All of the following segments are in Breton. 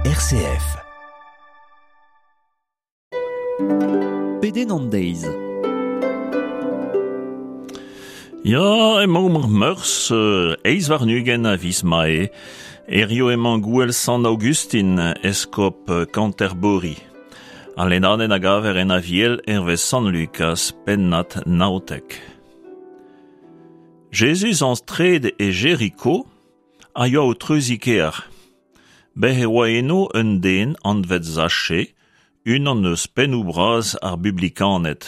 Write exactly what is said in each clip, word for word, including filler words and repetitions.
R C F. Pedenn an deiz. Ya, emaomp ar Meurzh, eizh warn-ugent a viz Mae. Hirio emañ gouel Sant Aogustin, eskob Canterbury. Al lennadenn a gaver en Aviel hervez Sant Lukaz, pennad naontek. Jezuz antreet e Jeriko a yoa o treuziñ kêr. Bez e oa eno un den anvet Zache, unan eus pennoù bras ar bublikaned,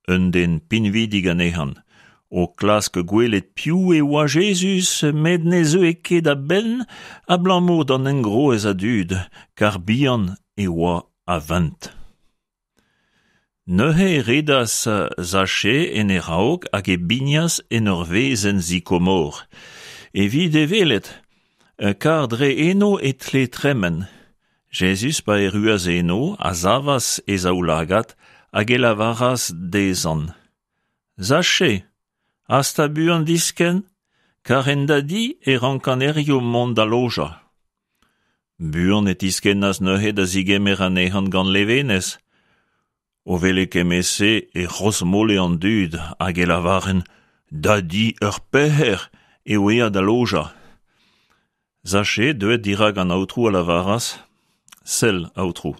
un den pinvidik anezhañ. O klask gwelet piv e oa Jezuz, met ne zeue ket a-benn abalamour d'an engroez a dud, kar bihan e oa a vent. Neuze e redas Zache en e raok hag e bignas en ur wezenn sikomor. Evit e welet, kar dre eno e tle tremen. Jezuz pa erruas eno a savas e zaoulagad hag e lavaras dezhañ: Zache, hasta buan diskenn, kar en da di e rankan hirio mont da lojañ. Buan e tiskennas neuze da zigemer anezhañ gant levenez. O welet kement-se e c'hrozmole an dud hag e lavarent: Da di ur pec'her eo aet da lojañ. Zache, deuet dirak an Aotrou a lavaras: Sell, Aotrou.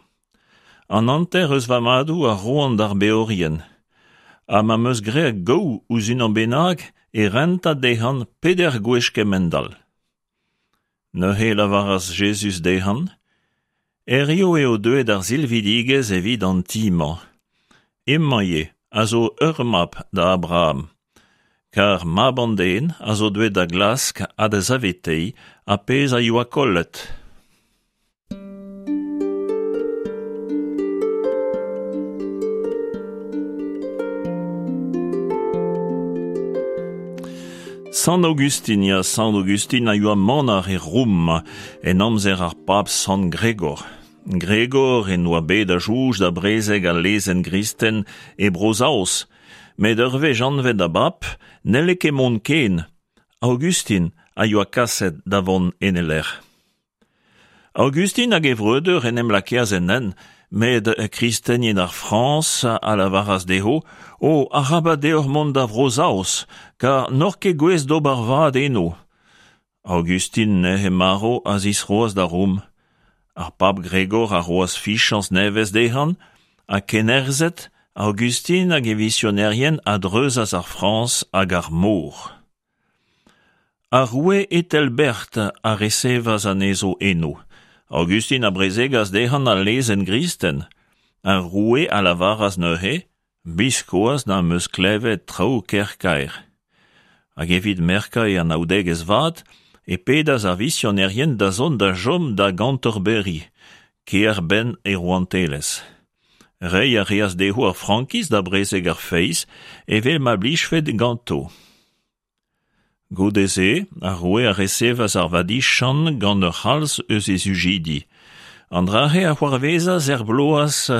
An hanter eus va madoù a roan d'ar beorien. Ha ma 'm eus graet gaou ouzh unan bennak e rentan dezhañ peder gwech kement-all. Neuze e lavaras Jezuz dezhañ: Hirio eo deuet ar silvidigezh evit an ti-mañ. Hemañ ivez a zo ur mab da Abraham. Kar mab an den a zo deuet da glask ha da saveteiñ ar pezh a yoa kollet. Sant Aogustin, ya, Sant Aogustin a yoa manac'h e Roum en amzer ar pab Sant Gregor. Gregor en oa bet a soñj da brezeg al lezenn gristen e Bro-Saoz, met ur wech anvet da bab n'helle ket mont ken. Aogustin a yoa kaset da vont en e lec'h. Aogustin hag e vreudeur en em lakeas en hent, met kristenien ar Frañs a lavaras dezho: O, arabat deoc'h mont da Vro-Saoz, kar n'oc'h ket gouest d'ober vad eno. Aogustin neuze marv a zistroas da Rom. Ar pab Gregor a roas fiziañs nevez dezhañ, ha kennerzhet, Aogustin hag e visionerien a dreuzas ar Frañs hag ar mor. Ar roue Ethelbert a resevas anezho eno. Aogustin a brezegas dezhañ al lezenn gristen. Ar roue a lavaras neuze: Biskoazh n'am eus klevet traoù ker kaer. Hag evit merkañ e anaoudegezh vat, e pedas ar visionerien da zont da chom da Ganterbury, kêr-benn e rouantelezh. Reiñ a reas dezho ar frankiz da brezeg ar feiz evel ma blijfe ganto. Goude-se, ar roue a resevas ar vadiziant gant ur c'halz eus e sujidi. An dra-se a c'hoarvezas er bloaz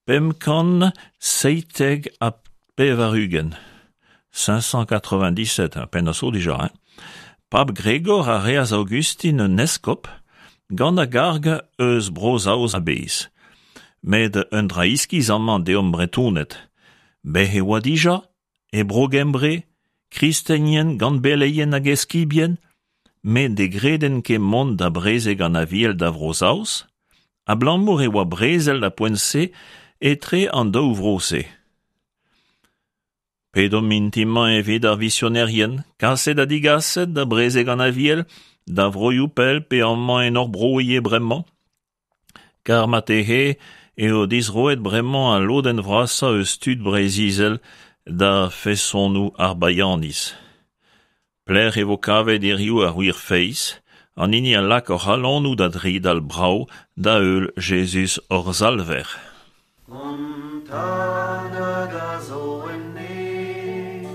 pemp kant seitek ha pevar-ugent. cinq cent quatre-vingt-dix-sept, pennad zo dija, hein. Pab Gregor a reas Aogustin un eskob gant a garg eus Bro-Saoz a-bezh. Met un dra iskis amañ deomp Bretoned. Bez e oa dija, e Bro-Gembre, kristenien gant beleien hag eskibien, met ne gredent ket mont da brezeg an Aviel da Vro-Saoz, abalamour e oa brezel da poent-se etre an daou vro-se. Pedomp mintin-mañ evit ar visionerien, kaset ha digaset da brezeg an Aviel, da vroioù pell pe amañ en hor bro ivez bremañ. Kar marteze eo dizroet bremañ al lodenn vrasañ eus tud Breizh-Izel da fesonoù ar baianiz. Pelec'h e vo kavet hiziv ar wir feiz, an hini a lak hor c'halonoù da dridal brav da heul Jezuz hor Salver. Hon Tad hag a zo en neñv,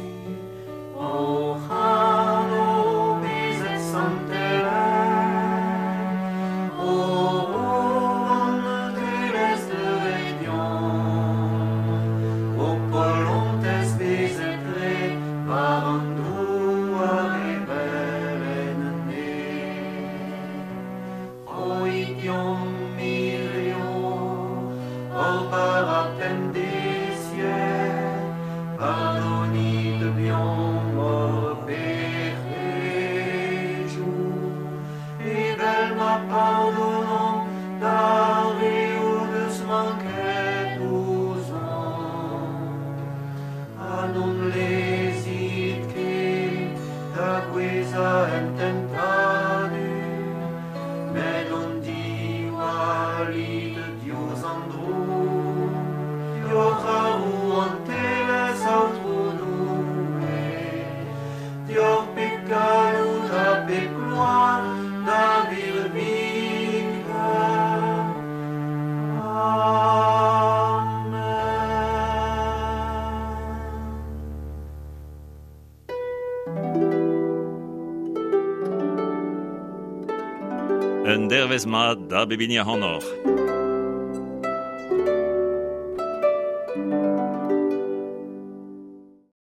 hoc'h anv bezet santelaet, ho rouantelezh deuet deomp, ho polontez bezet graet war an douar evel en neñv. Roit Roit hirio hor bara pemdeziek, pardonit deomp hor pec'hedoù, evel ma pardonomp d'ar re o deus manket ouzhomp. Ha n'hon lezit ket da gouezhañ en tentadur, met hon diwallit diouzh an droug. Deoc'h ar rouantelezh, Aotrou Doue, deoc'h pep galloud ha pep gloar da virviken. Amen. Un dervez mat da bep hini ac'hanoc'h.